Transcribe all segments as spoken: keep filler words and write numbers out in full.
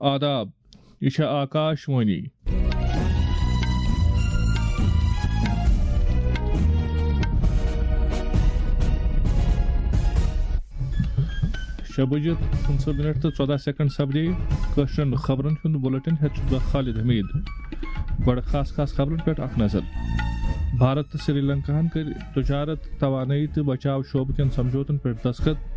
آداب، یہِ چھےٚ آکاش وانی۔ شےٚ بجے پٕنٛژٕہ منٹ تہٕ ژۄداہ سیکنڈ سپدے۔ کٲشرٮ۪ن خبرن ہُنٛد بُلٹن ہٮ۪تھ چھُس بہٕ خالد حمید۔ گۄڈٕ خاص خاص خبرن پٮ۪ٹھ اکھ نظر۔ بھارت تہٕ سری لنکاہن کٔرۍ تجارت، توانٲیی تہٕ بچاو شعبہٕ کٮ۪ن سمجھوتن پٮ۪ٹھ دستخط۔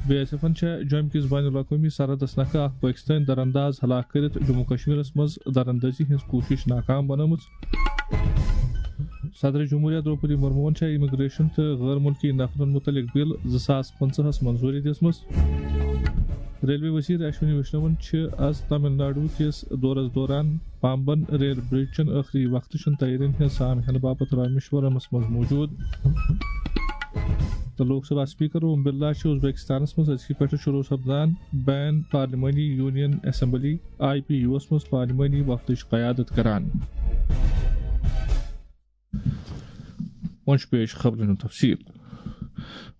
بی ایس ایفن چھےٚ جوٚمہِ کِس بین الاقوٲمی سرحدس نکھٕ اکھ پٲکستٲنۍ درانداز ہلاک کٔرِتھ جموں کشمیرس منٛز دراندازی ہٕنٛز کوٗشش ناکام بنٲومٕژ۔ صدر جمہوریہ درٛوپدی مرموہن چھےٚ امیگریشن تہٕ غٲر مُلکی نفرن مُتعلق بل زٕ ساس پٕنٛژٕہس منظوٗری دِژمٕژ۔ ریلوے وزیر اشونی ویشنون چھِ از تامل ناڈو کِس دورس دوران پامبن ریل برج چٮ۪ن ٲخری وقتہٕ چٮ۪ن تیٲرین ہٕنٛز سام ہینہٕ باپتھ رامیشورمس منٛز موجود۔ تہٕ لوک سبھا اسپیکر اوم برلا چھُ ازبیکستانس منٛز أزکہِ پٮ۪ٹھٕ شروع سپدان بین پارلیمانی یونین اسمبلی، آئی پی یوس منٛز پارلیمانی وفدٕچ قیادت کران۔ وۄنۍ چھُ پیش خبرن ہُنٛد تفصیل۔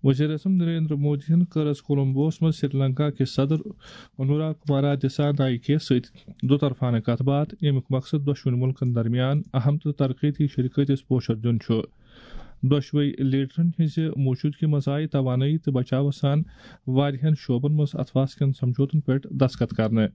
وزیر اعظم نریندر مودی یَن کٔر از کولمبوس منٛز سری لنکا کِس صدر انورا کمارا دسا نائکے سۭتۍ دُطرفانہٕ کتھ باتھ، ییٚمیُک مقصد دۄشوٕنی مُلکن درمیان اہم تہٕ ترقیتی شراکتس پوچھر دیُن چھُ۔ دۄشوٕے لیڈرن ہٕنٛزِ موجودگی منٛز آیہِ توانٲیی تہٕ بچاوس سان واریاہن شعبن منٛز اتھواس کٮ۪ن سمجھوتن پٮ۪ٹھ دستخط کرنہٕ۔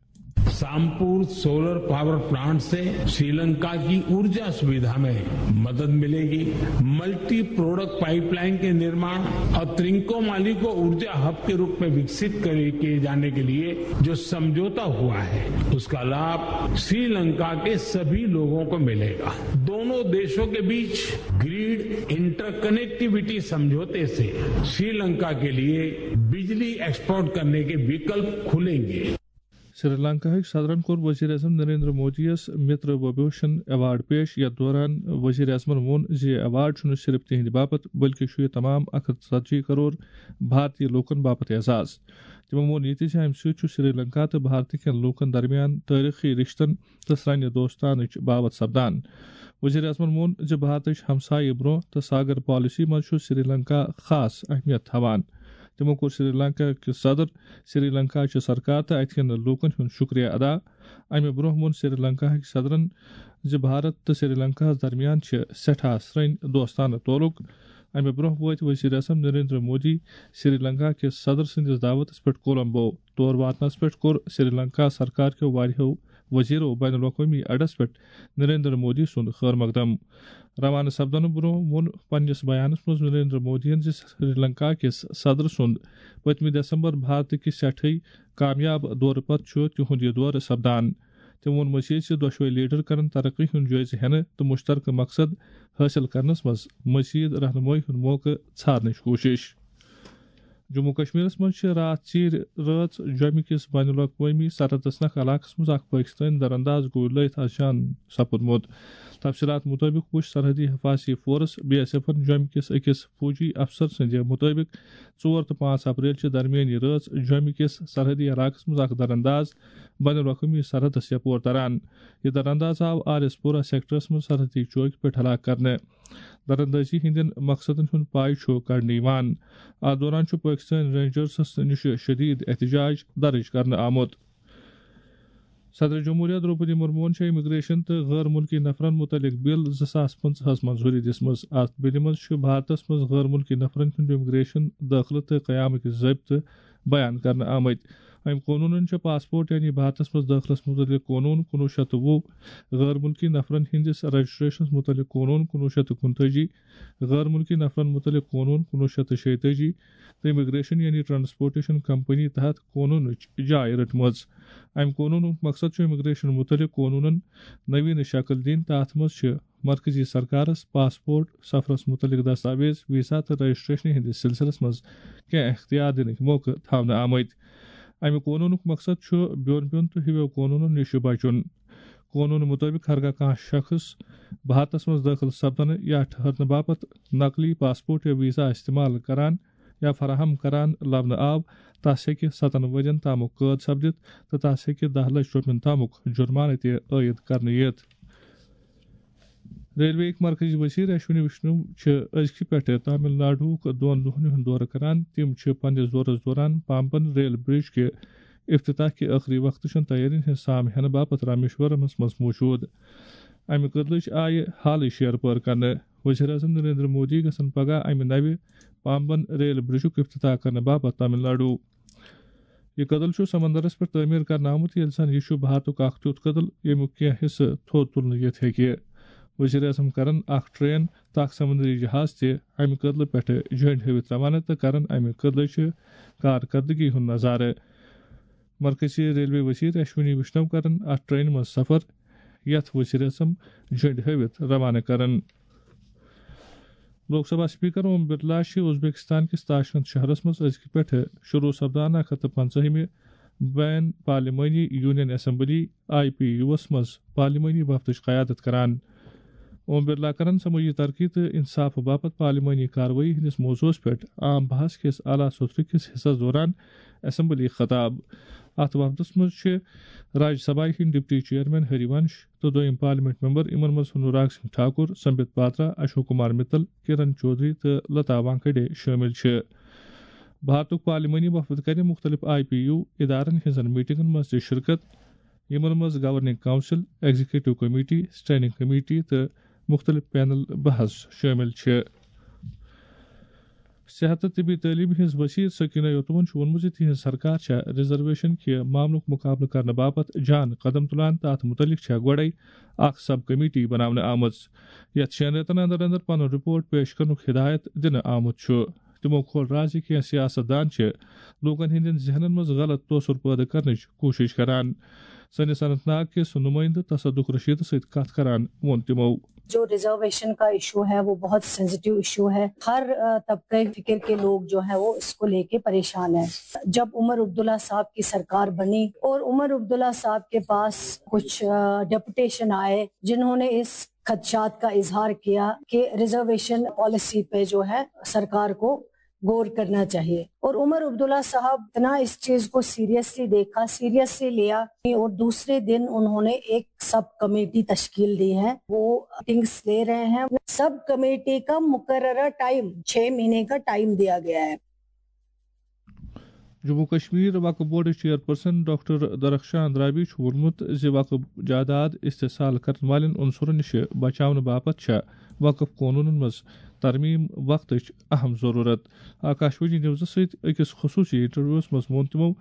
सामपुर सोलर पावर प्लांट से श्रीलंका की ऊर्जा सुविधा में मदद मिलेगी। मल्टी प्रोडक्ट पाइपलाइन के निर्माण और त्रिंकोमाली को ऊर्जा हब के रूप में विकसित करे, किए जाने के लिए जो समझौता हुआ है, उसका लाभ श्रीलंका के सभी लोगों को मिलेगा। दोनों देशों के बीच ग्रिड इंटरकनेक्टिविटी समझौते से श्रीलंका के लिए बिजली एक्सपोर्ट करने के विकल्प खुलेंगे। سری لنکاہٕکۍ صدرن کوٚر وزیر اعظم نریندر مودی یَس متر وبھوشن ایوارڈ پیش، یتھ دوران وزیر اعظمن ووٚن زِ یہِ ایوارڈ چھُنہٕ صرف تِہنٛدِ باپتھ، بلکہِ چھُ یہِ تمام اکھ ہتھ ژتجی کرور بھارتی لوٗکن باپتھ اعزاز۔ تِمو ووٚن یہِ تہِ زِ امہِ سۭتۍ چھُ سری لنکا تہٕ بھارتہٕ کٮ۪ن لوٗکن درمیان تٲریخی رشتن تہٕ سرٛنہِ دوستانٕچ باوتھ سپدان۔ وزیر اعظمن ووٚن زِ بھارتٕچ ہمسایہِ برونٛہہ تہٕ ساگر پالیسی منٛز چھُ سری لنکا خاص اہمیت تھاوان۔ تِمو کوٚر سری لنکا کِس صدر، سری لنکا چہِ سرکار تہٕ اتہِ کٮ۪ن لوٗکن ہُنٛد شُکریہ ادا۔ امہِ برونٛہہ ووٚن سری لنکاہٕکۍ صدرن زِ بھارت تہٕ سری لنکاہس درمیان چھِ سٮ۪ٹھاہ سرٛنۍ دوستانہٕ تعلق۔ امہِ برونٛہہ وٲتۍ وزیر اعظم نریندر مودی سری لنکا کِس صدر سٕنٛدِس دعوتس پٮ۪ٹھ کولمبو۔ تور واتنس پٮ۪ٹھ کوٚر سری لنکا سرکار کیو واریاہو وزیرو بین الاقوٲمی اڈس پٮ۪ٹھ نریندر مودی سُنٛد خٲر مقدم۔ روانہٕ سپدنہٕ برونٛہہ ووٚن پننِس بیانس منٛز نریندر مودیَن زِ سری لنکا کِس صدر سُنٛد پٔتمہِ دسمبر بھارتہٕ کِس سٮ۪ٹھٕے کامیاب دورٕ پتہٕ چھُ تِہُنٛد یہِ دورٕ سپدان۔ تٔمۍ ووٚن مزید زِ دۄشوے لیڈر کرن ترقی ہُنٛد جٲیزٕ ہٮ۪نہٕ تہٕ مشترکہٕ مقصد حٲصِل کرنس منٛز مزید رہنمٲیی ہُنٛد موقعہٕ ژھارنٕچ کوٗشش۔ جموں کشمیرس منٛز چھِ راتھ ژیٖرۍ رٲژ جوٚمہِ کِس بین الاقوٲمی سرحدس نکھ علاقس منٛز اکھ پٲکستٲنۍ درانداز گوٗلۍ لٲیِتھ از جان سپُدمُت۔ تفصیلات مُطٲبِق وُچھ سرحدی حفاظتی فورس، بی ایس ایفن، جوٚمہِ کِس أکِس فوجی افسر سٕنٛدِ مُطٲبِق ژور تہٕ پانٛژھ اپریل چہِ درمیٲنی رٲژ جوٚمہِ کِس سرحدی علاقس منٛز اکھ درانداز بین الاقوٲمی سرحدس یپور تران۔ یہِ درانداز آو آر ایس پورہ سیکٹرس منٛز سرحدی چوکہِ پٮ۪ٹھ ہلاک کرنہٕ۔ دراندازی ہٕنٛدٮ۪ن مقصدن ہُنٛد پاے چھُ کڑنہٕ یِوان۔ اتھ دوران چھُ پٲکستٲنۍ رینجرسس نِش شدید احتجاج درج کرنہٕ آمُت۔ صدر جمہوریہ درٛوپدی مرموہن چھےٚ امیگریشن تہٕ غٲر مُلکی نفرن مُتعلق بل زٕ ساس پٕنٛژٕہس منظوٗری دِژمٕژ۔ اتھ بلہِ منٛز چھُ بھارتس منٛز غٲر مُلکی نفرن ہُنٛد امیگریشن، دٲخلہٕ تہٕ قیامٕکۍ ضٲبطہٕ بیان کرنہٕ آمٕتۍ۔ امہِ قونوٗنن چھےٚ پاسپورٹ یعنی بھارتس منٛز دٲخلس مُتعلق قونوٗن کُنوُہ شیٚتھ تہٕ وُہ، غٲر مُلکی نفرن ہٕنٛدِس رجسٹریشنس مُتعلق قونوٗن کُنوُہ شیٚتھ تہٕ کُنتٲجی، غٲر مُلکی نفرن مُتعلق قونوٗن کُنوُہ شیٚتھ تہٕ شیٚیہِ تٲجی تہٕ امیگریشن یعنی ٹرانسپورٹیشن کمپنی تحت قونوٗنٕچ جاے رٔٹمٕژ۔ امہِ قونوٗنُک مقصد چھُ امیگریشن مُتعلق قونوٗنن نویٖنہٕ شکل دِنۍ تہٕ اتھ منٛز چھِ مرکزی سرکارس پاسپورٹ، سفرس مُتعلق دستاویز، ویزا تہٕ رجسٹریشنہِ ہٕنٛدِس سلسلس منٛز کینٛہہ اختیار دِنٕکۍ موقعہٕ تھاونہٕ آمٕتۍ۔ امہِ قونوٗنُک مقصد چھُ بیوٚن بیوٚن تہٕ ہِویو قونوٗنو نِش بچُن۔ قونوٗن مُطٲبِق ہرگاہ کانٛہہ شخص بھارتس منٛز دٲخل سپدنہٕ یا ٹھہرنہٕ باپتھ نقلی پاسپورٹ یا ویزا استعمال کران یا فراہم کران لبنہٕ آو، تس ہیٚکہِ ستن ؤرین تامُک قٲد سپدِتھ تہٕ تس ہیٚکہِ دَہ لچھ رۄپین تامُک جُرمانہٕ تہِ عٲید کرنہٕ یِتھ۔ ریلوے ہٕکۍ مرکزی وزیر اشونی وشنو چھِ أزکہِ پٮ۪ٹھٕ تامل ناڈوُک دۄن دۄہن ہُنٛد دورٕ کران۔ تِم چھِ پننِس دورس دوران پامبن ریل برج کہِ افتتاح کہِ ٲخری وقتہٕ چھُنہٕ تیٲرین ہٕنٛز سام ہینہٕ باپتھ رامیشورمس منٛز موجود۔ امہِ کدلٕچ آیہِ حالٕے شیر پٲر کرنہٕ۔ وزیر اعظم نریندر مودی گژھن پگاہ امہِ نوِ پامبن ریل برجُک افتتاح کرنہٕ باپتھ تامل ناڈو۔ یہِ کدل چھُ سمندرس پٮ۪ٹھ تعمیٖر کرنہٕ آمُت، ییٚلہِ زن یہِ چھُ بھارتُک اکھ تیُتھ کدل، ییٚمیُک کینٛہہ حصہٕ تھوٚد تُلنہٕ یِتھ ہیٚکہِ۔ وزیر اعظم کرن اکھ ٹرین تہٕ اکھ سمندری جہاز تہِ امہِ کدلہٕ پٮ۪ٹھٕ جھنڈ ہٲوِتھ روانہٕ تہٕ کرن امہِ کدلٕچہِ کارکردگی ہُنٛد نظارٕ۔ مرکزی ریلوے وزیر اشونی وشنو کرن اتھ ٹرینہِ منٛز سفر، یتھ وزیر اعظم جھنڈ ہٲوِتھ روانہٕ کرن۔ لوک سبھا اسپیکر اوم برلا چھِ ازبیکستان کِس تاشکند شہرس منٛز أزکہِ پٮ۪ٹھٕ شروع سپدان اکھ ہتھ تہٕ پنٛژاہمہِ بین پارلیمانی یونین اسمبلی، آئی پی یوس منٛز پارلیمانی وفدٕچ قیادت کران۔ اوم برلا کرن سمٲجی ترقی تہٕ انصاف باپتھ پارلیمانی کاروٲیی ہٕنٛدِس موضوعس پٮ۪ٹھ عام بحث کِس اعلیٰ سوترٕ کِس حصس دوران اسمبلی خطاب۔ اتھ وفدس منٛز چھِ راجیہ سبھا ہٕنٛدۍ ڈپٹی چیئرمین ہریونش تہٕ دوٚیِم پارلیمنٹ ممبر، یِمن منٛز انوراگ سنگھ ٹھاکر، سمبت پاترا، اشوک کمار متل، کرن چودھری تہٕ لتا وانکھیڈے شٲمِل چھِ۔ بھارتُک پارلیمانی وفد کرِ مُختٔلِف آئی پی یو ادارن ہٕنٛزن میٹنگن منٛز تہِ شرکت، یِمن منٛز governing council, executive committee, standing committee تہٕ مُختٔلِف پینل بحث شٲمِل چھِ۔ صحت تہٕ طبی تعلیٖم ہٕنٛز وزیر سکینہ یوتوَن چھُ ووٚنمُت زِ تِہنٛز سرکار چھےٚ ریزرویشن کہِ معاملُک مُقابلہٕ کرنہٕ باپتھ جان قدم تُلان تہٕ اتھ مُتعلق چھےٚ گۄڈَے اکھ سب کمیٹی بناونہٕ آمٕژ، یتھ شٮ۪ن رٮ۪تن اندر اندر پنُن رپورٹ پیش کرنُک ہدایت دِنہٕ آمُت چھُ۔ تِمو کھول راز زِ کینٛہہ سیاست دان چھِ لوٗکن ہٕنٛدٮ۪ن ذہنن منٛز غلط تٲثر پٲدٕ کرنٕچ کوٗشش کران۔ سٲنِس اننت ناگ کِس نُمٲیندٕ تصدق رشیدس سۭتۍ کتھ کران ووٚن تِمو۔ جو ریزرویشن کا ایشو ہے، وہ بہت سینسٹیو ایشو ہے۔ ہر، آ، طبقے فکر کے لوگ جو ہیں، وہ اس کو لے کے پریشان ہیں۔ جب عمر عبداللہ صاحب کی سرکار بنی اور عمر عبداللہ صاحب کے پاس کچھ، آ، ڈیپوٹیشن آئے، جنہوں نے اس خدشات کا اظہار کیا کہ ریزرویشن پالیسی پہ جو ہے، سرکار کو غور کرنا چاہیے۔ اور عمر عبداللہ صاحب اتنا اس چیز کو سیریسلی دیکھا، سیریسلی لیا، اور دوسرے دن انہوں نے ایک سب کمیٹی تشکیل دی ہے، وہ میٹنگز لے رہے ہیں۔ سب کمیٹی کا مقررہ ٹائم، چھ مہینے کا ٹائم دیا گیا ہے۔ جموں کشمیر وقف بورڈٕچ چیئرپرسن ڈاکٹر درخشان درابی چھُ ووٚنمُت زِ وقف جائیداد استحصال کرن والٮ۪ن عنصرن نِش بچاونہٕ باپتھ چھےٚ وقف قونوٗنن منٛز ترمیم وقتٕچ اہم ضروٗرت۔ آکاشوانی نیوزس سۭتۍ أکِس خصوٗصی انٹرویوس منٛز ووٚن تِمو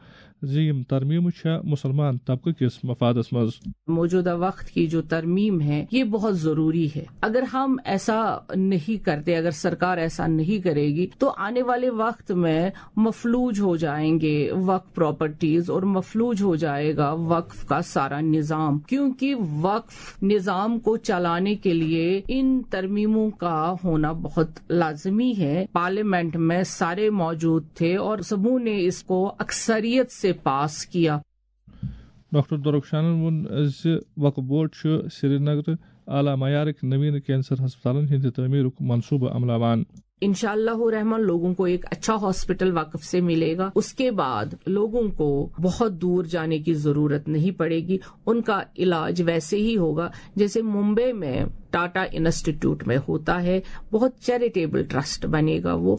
زِ یِم ترمیمہٕ چھےٚ مُسلمان طبقہٕ کِس مفادس منٛز۔ موجودہ وقت کی جو ترمیم ہے، یہ بہت ضروری ہے۔ اگر ہم ایسا نہیں کرتے، اگر سرکار ایسا نہیں کرے گی، تو آنے والے وقت میں مفلوج ہو جائیں گے وقف پراپرٹیز اور مفلوج ہو جائے گا وقف کا سارا نظام، کیونکہ وقف نظام کو چلانے کے لیے ان ترمیموں کا ہونا بہت لازمی ہے۔ پارلیمنٹ میں سارے موجود تھے اور سبوں نے اس کو اکثریت سے پاس کیا۔ ڈاکٹر درخشانن ووٚن زِ وقف بورڈ چھُ سری نگر اعلیٰ معیارٕکۍ نوین کینسر ہسپتالن ہٕنٛدِ تعمیرُک منصوبہٕ عملاوان۔ انشاءاللہ الرحمن لوگوں کو ایک اچھا ہاسپٹل وقف سے ملے گا۔ اس کے بعد لوگوں کو بہت دور جانے کی ضرورت نہیں پڑے گی۔ ان کا علاج ویسے ہی ہوگا جیسے ممبئی میں ٹاٹا انسٹیٹیوٹ میں ہوتا ہے۔ بہت چیریٹیبل ٹرسٹ بنے گا وہ۔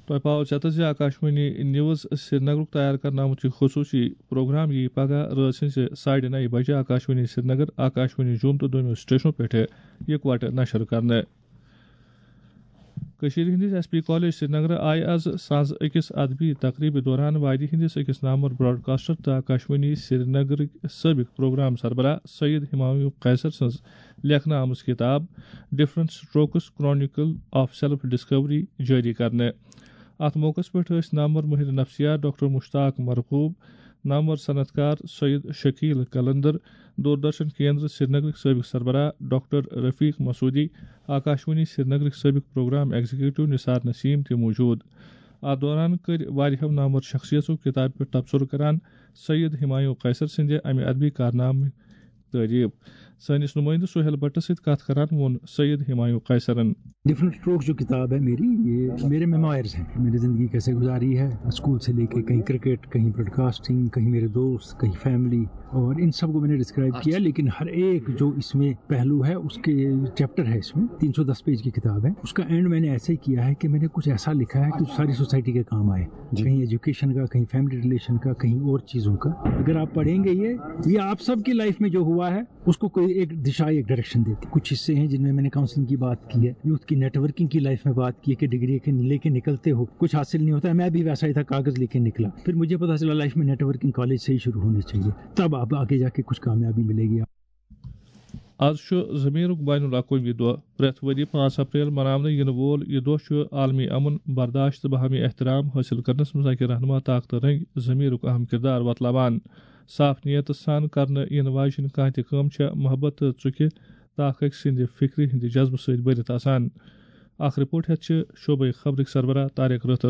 تۄہہِ پاوو ژیتس زِ آکاشوانی نیوز سرینگرُک تیار کرنہٕ آمُت یہِ خصوٗصی پروگرام یِیہِ پگاہ رٲژ ہٕنٛزِ ساڑِ نَیہِ بجہِ آکاشوانی سرینگر، آکاشوانی جوم تہٕ دوٚیمو سٹیشنو پٮ۪ٹھٕ یِکوَٹہٕ نشر کرنہٕ۔ کٔشیٖرِ ہٕنٛدِس ایس پی کالج سرینگرٕ آیہِ از سنٛز أکِس ادبی تقریبہِ دوران وادی ہٕنٛدِس أکِس نامور براڈکاسٹر تہٕ آکاشوانی سرینگرٕکۍ سٲبق پروگرام سربراہ سید ہمایوں قیصر سٕنٛز لیکھنہٕ آمٕژ کتاب Different Strokes Chronicle of Self Discovery جٲری کرنہٕ۔ اتھ موقعس پٮ۪ٹھ ٲسۍ نامور مٲہِر نفسیات ڈاکٹر مشتاق مرغوب، نامور صنعت کار سید شکیل قلندر، دوردرشن کیندر سرینگرٕکۍ سٲبق سربراہ ڈاکٹر رفیق مسعودی، آکاشوانی سرینگرٕکۍ سٲبق پروگرام ایگزیکٹو نثار نسیم تہِ موجود۔ اتھ دوران کٔرۍ واریاہو نامور شخصیژو کتابہِ پٮ۪ٹھ تبصرٕ کران سید ہمایوں قیصر سٕنٛدِ امہِ ادبی کارنامہٕ تعریف۔ سٲنِس نُمٲیِندٕ سُہیل بٹس سۭتۍ کتھ کران ووٚن سید ہمایوں قیصرن۔ ڈفرنٹ اسٹروکس جو کتاب ہے میری، یہ میرے میموائرز ہیں، میری زندگی کیسے گزاری ہے، اسکول سے لے کے کہیں کرکٹ، کہیں براڈ کاسٹنگ، کہیں میرے دوست، کہیں فیملی، اور ان سب کو میں نے ڈسکرائب کیا، لیکن ہر ایک جو اس میں پہلو ہے، اس کے چیپٹر ہے، اس میں تین سو دس پیج کی کتاب ہے۔ اس کا اینڈ میں نے ایسے کیا ہے کہ میں نے کچھ ایسا لکھا ہے کہ ساری سوسائٹی کے کام آئے، کہیں ایجوکیشن کا، کہیں فیملی ریلیشن کا، کہیں اور چیزوں کا۔ اگر آپ پڑھیں گے یہ یہ آپ سب کی لائف میں جو ہوا ہے، اس کو کوئی ایک دشا، ایک ڈائریکشن دیتی۔ کچھ حصے ہیں جن میں میں نے کاؤنسلنگ کی بات کی ہے، یوتھ کی نیٹ ورکنگ کی لائف میں بات کی ہے کہ ڈگری کے لے کے نکلتے ہو، کچھ حاصل نہیں ہوتا ہے۔ میں بھی ویسا ہی تھا، کاغذ لے کے نکلا، پھر مجھے پتا چلا لائف میں نیٹ ورکنگ کالج سے ہی شروع ہونی چاہیے، تب آپ آگے جا کے کچھ کامیابی ملے گی۔ آز چھُ ضمیٖرُک بین الاقوٲمی دۄہ۔ پرٛٮ۪تھ ؤرۍ یہِ پانٛژھ اپریل مناونہٕ یِنہٕ وول یہِ دۄہ چھُ عالمی امن، برداشت تہٕ باہمی احترام حٲصِل کرنس منٛز اکہِ رہنما طاقتہٕ رٔنٛگۍ ضمیٖرُک اہم کردار وۄتلاوان۔ صاف نیتہٕ سان کرنہٕ یِنہٕ واجیٚنۍ کانٛہہ تہِ کٲم چھےٚ محبت تہٕ ژُکہِ تہٕ اکھ أکۍ سٕنٛدِ فکرِ ہٕنٛدِ جذبہٕ سۭتۍ بٔرِتھ آسان۔ اکھ رپورٹ ہٮ۪تھ چھِ شعبہٕ خبرٕکۍ سربراہ طارق رٲتھر۔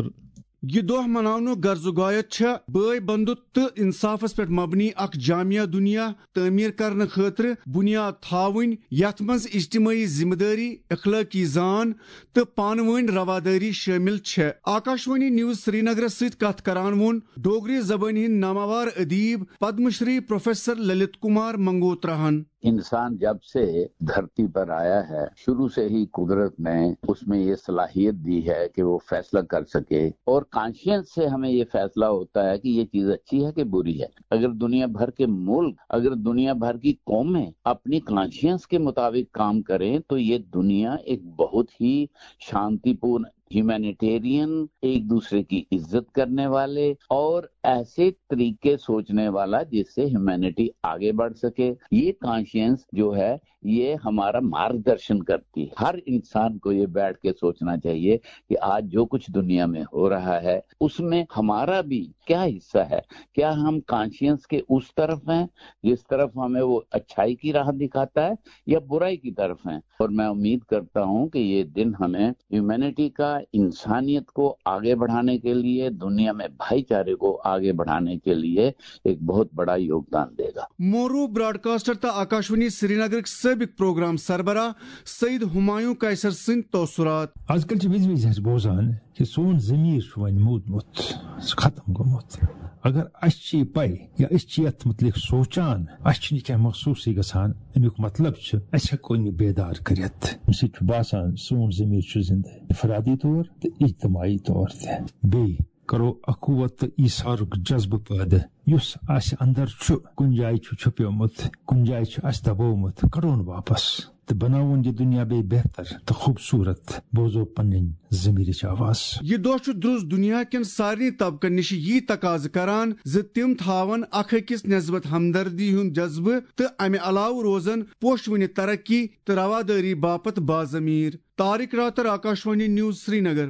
یہِ دۄہ مناونُک غرض و غایت چھےٚ بٲے بندُت تہٕ انصافس پٮ۪ٹھ مبنی اکھ جامع دنیا تعمیر کرنہٕ خٲطرٕ بنیاد تھاوٕنۍ، یتھ منٛز اجتمٲعی ذمہٕ دٲری، اخلٲقی زان تہٕ پانہٕ وٲنۍ روادٲری شٲمِل چھےٚ۔ آکاشوانی نیوز سرینگرس سۭتۍ کتھ کران ووٚن ڈوگری زبٲنۍ ہٕنٛدۍ ناماوار ادیب پدم شری پروفیسر للت کمار منگوتراہن۔ انسان جب سے دھرتی پر آیا ہے، شروع سے ہی قدرت نے اس میں یہ صلاحیت دی ہے کہ وہ فیصلہ کر سکے، اور کانشیئنس سے ہمیں یہ فیصلہ ہوتا ہے کہ یہ چیز اچھی ہے کہ بری ہے۔ اگر دنیا بھر کے ملک، اگر دنیا بھر کی قومیں اپنی کانشیئنس کے مطابق کام کریں تو یہ دنیا ایک بہت ہی شانتی پورن، ہیومینیٹیرین، ایک دوسرے کی عزت کرنے والے اور ایسے طریقے سوچنے والا جس سے ہیومینٹی آگے بڑھ سکے۔ یہ کانشیئنس جو ہے، یہ ہمارا مارگدرشن کرتی ہے۔ ہر انسان کو یہ بیٹھ کے سوچنا چاہیے کہ آج جو کچھ دنیا میں ہو رہا ہے، اس میں ہمارا بھی کیا حصہ ہے؟ کیا ہم کانشیئنس کے اس طرف ہیں جس طرف ہمیں وہ اچھائی کی راہ دکھاتا ہے، یا برائی کی طرف ہیں؟ اور میں امید کرتا ہوں کہ یہ دن ہمیں ہیومینٹی کا، انسانیت کو آگے بڑھانے کے لیے، دنیا میں بھائی چارے کو آگے بڑھانے کے لیے ایک بہت بڑا یوگدان دے گا۔ معروف براڈکاسٹر تہٕ آکاشوانی سرینگرٕکۍ سٲبق پروگرام سربراہ سید ہمایوں قیصر سٕنٛدۍ تاثرات۔ آز کل چھِ وِزِ وِزِ أسۍ بوزان کہِ سون ضمیٖر چھُ وۄنۍ موٗدمُت، سُہ ختم گوٚمُت۔ اگر اَسہِ چھِ یہِ پَے یا أسۍ چھِ یَتھ مُتعلِق سونٛچان، اَسہِ چھُنہٕ یہِ کینٛہہ محسوٗسٕے گژھان، اَمیُک مطلب چھُ اَسہِ ہٮ۪کو نہٕ بیدار کٔرِتھ۔ اَمہِ سۭتۍ چھُ باسان سون ضمیٖر چھُ زِندٕ۔ انفرادی طور تہٕ اجتماعی طور تہِ۔ بیٚیہِ کرو اخوت تہٕ ایثارُک جذبہٕ پٲدٕ، یُس اسہِ اندر چھُ، کُنہِ جایہِ چھُ چھُپیومُت، کُنہِ جایہِ چھُ اسہِ دبومُت، کڑون واپس تہٕ بناوون یہِ دُنیا بیٚیہِ بہتر تہٕ خوٗبصوٗرت۔ بوزو پنٕنۍ ضمیٖرٕچ آواز۔ یہِ دۄہ چھُ درُس دُنیا کٮ۪ن سارنٕے طبقن نِش یی تقاضہٕ کران زِ تِم تھاون اکھ أکِس نسبت ہمدردی ہُنٛد جذبہٕ تہٕ امہِ علاوٕ روزن پوشوٕنہِ ترقی تہٕ روادٲری باپتھ باضمیٖر۔ طارق راتر، آکاشوانی نیوز، سرینگر۔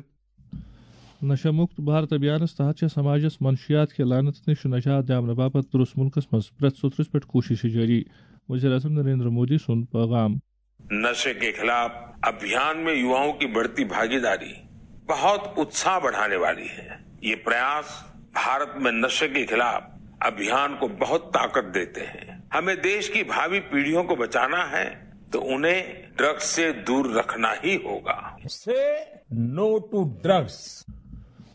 نشہ مکت بھارت ابھیانس تحت چھےٚ سماجس منشیات کہِ لعنت نِش نجات دیاونہٕ باپتھ درست ملکس منٛز پرٛٮ۪تھ سوٚتھرِس پٮ۪ٹھ کوٗششہٕ جٲری۔ وزیر اعظم نریندر مودی سُنٛد پیغام۔ नशे के खिलाफ अभियान में युवाओं की बढ़ती भागीदारी बहुत उत्साह बढ़ाने वाली है। ये प्रयास भारत में नशे के खिलाफ अभियान को बहुत ताकत देते हैं। हमें देश की भावी पीढ़ियों को बचाना है, तो उन्हें ड्रग्स से दूर रखना ही होगा। से नो टू ड्रग्स।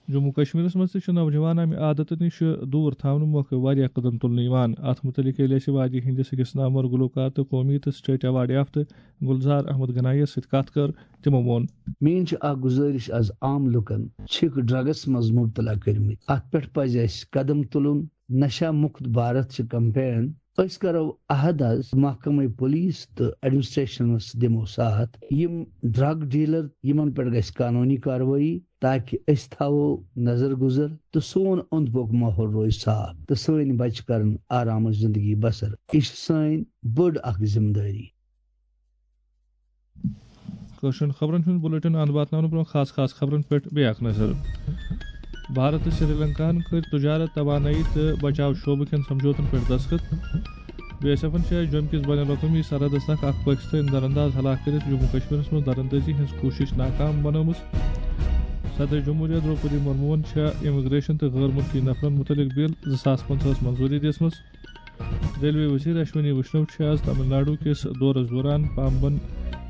جموں کشمیرس منٛز تہِ چھِ نوجوان امہِ عادتہٕ نِش دوٗر تھاونہٕ مۄکھٕ واریاہ قدم تُلنہٕ یِوان۔ اتھ مُتعلق ییٚلہِ اَسہِ وادی ہٕنٛدِس أکِس نامور گلوکار تہٕ قومی تہٕ سٹیٹ ایوارڈ یافتہٕ گلزار احمد گنایی یَس سۭتۍ کتھ کٔر، تِمو ووٚن۔ میٲنۍ چھِ اکھ گُزٲرِش از عام لُکن چھِکھ ڈرگس منٛز مبتلا کٔرمٕتۍ۔ اتھ پٮ۪ٹھ پزِ اَسہِ قدم تُلُن۔ نشہ مکت بھارت چھِ کمپین۔ أسۍ کرو عہد از محکمہ پولیس تہٕ ایڈمنسٹریشنس دِمو ساتھ۔ یِم ڈرگ ڈیلر، یِمن پٮ۪ٹھ گژھِ قانونی کاروٲیی، تاکہ أسۍ تھاوو نظر گزر تہٕ سون اوٚنٛد پوٚک ماحول روزِ صاف تہٕ سٲنۍ بچہِ کرن آرامٕچ زندگی بسر۔ یہِ چھِ سٲنۍ بٔڑ اکھ ذمہٕ دٲری۔ کٲشرٮ۪ن خبرن ہُنٛد بُلٹن اند واتناونہٕ برٛونٛہہ خاص خاص خبرن پٮ۪ٹھ بیٚیہِ اکھ نظر۔ بھارت تہٕ سری لنکاہن کٔرۍ تجارت، توانٲیی تہٕ بچاو شعبہٕ کٮ۪ن سمجھوتن پٮ۪ٹھ دستخط۔ بی ایس ایفن چھےٚ جوٚمہِ کِس بین الاقوٲمی سرحدس تک اکھ پٲکستٲنۍ درانداز ہلاک کٔرِتھ جموں کشمیرس منٛز دراندازی ہٕنٛز کوٗشش ناکام بنٲومٕژ۔ صدر جمہوریہ درٛوپدی مرموہن چھےٚ امیگریشن تہٕ غٲر مُلکی نفرن مُتعلق بل زٕ ساس پنٛژاہس منظوٗری دِژمٕژ۔ ریلوے وزیر اشونی ویشنو چھِ آز تامل ناڈو کِس دورس دوران پامبن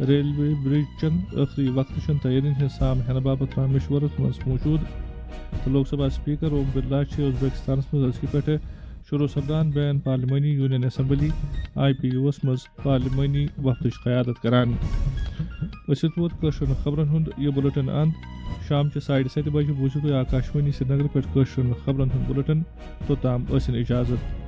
ریلوے برج چٮ۪ن ٲخری وقتہٕ چٮ۪ن تیٲرین ہٕنٛز سام ہینہٕ باپتھ رامشورس منٛز موجود، تہٕ لوک سبھا اسپیکر اوم برلا چھِ ازبیکستانس منٛز أزکہِ پٮ۪ٹھٕ شروع سپدان بین پارلیمانی یونین اسمبلی، آئی پی یوس منٛز پارلیمانی وفدٕچ قیادت کران۔ أسۍ ووت کٲشرٮ۪ن خبرن ہُنٛد یہِ بُلٹن اند۔ شام چہِ ساڑِ ستہِ بجہِ بوٗزِو تُہۍ آکاشوانی سرینگر پٮ۪ٹھ کٲشرٮ۪ن خبرن ہُنٛد بُلٹن۔ توٚتام ٲسِن اجازت۔